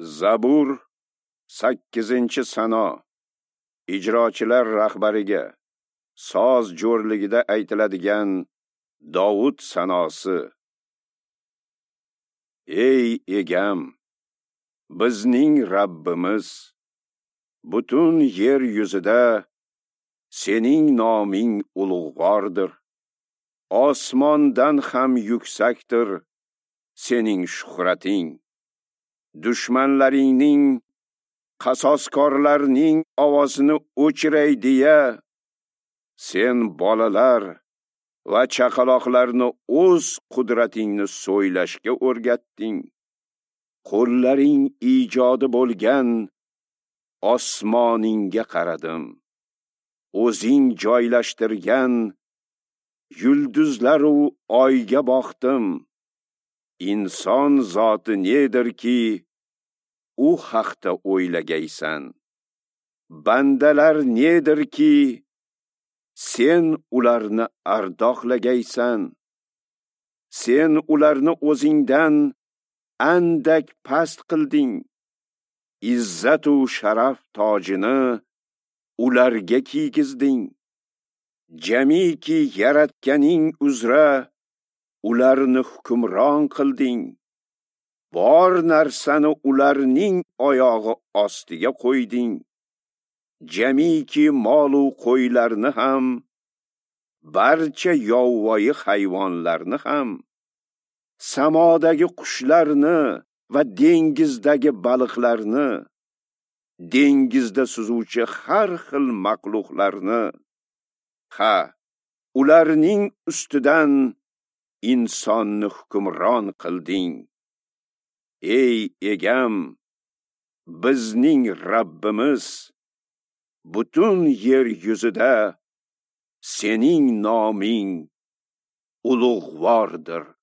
Zabur 8-sano. Ijrochilar rahbariga soz jo'rligida aytiladigan Dovud sanosi. Ey egam, bizning Rabbimiz, butun yer yuzida sening noming ulug'vordir. Osmondan ham yuksakdir sening shuhrating. Dushmanlaringning, qasoskorlarning ovozini o'chiray deya, sen bolalar va chaqaloqlarni o'z qudratingni so'ylashga o'rgatding. Qo'llaring ijodi bo'lgan osmoningga qaradim. O'zing joylashtirgan yulduzlar u oyga boqdim. Inson zoti nedirki, u haqda o'ylagaysan. Bandalar nedirki, sen ularni ardoqlagaysan. Sen ularni o'zingdan andak past qilding. Izzat u sharaf tojini ularga kiygizding. Jamiki yaratganing uzra ularni hukmron qilding. Bor narsani ularning oyog'i ostiga qo'yding. Jamiki mol-u qo'ylarni ham, barcha yovvoyi hayvonlarni ham, samodagi qushlarni va dengizdagi baliqlarni, dengizda suzuvchi har xil maxluqlarni, ha, ularning ustidan insonni hukmron qilding. Ey egam, bizning Rabbimiz, butun yer yuzida sening noming ulug'vordir.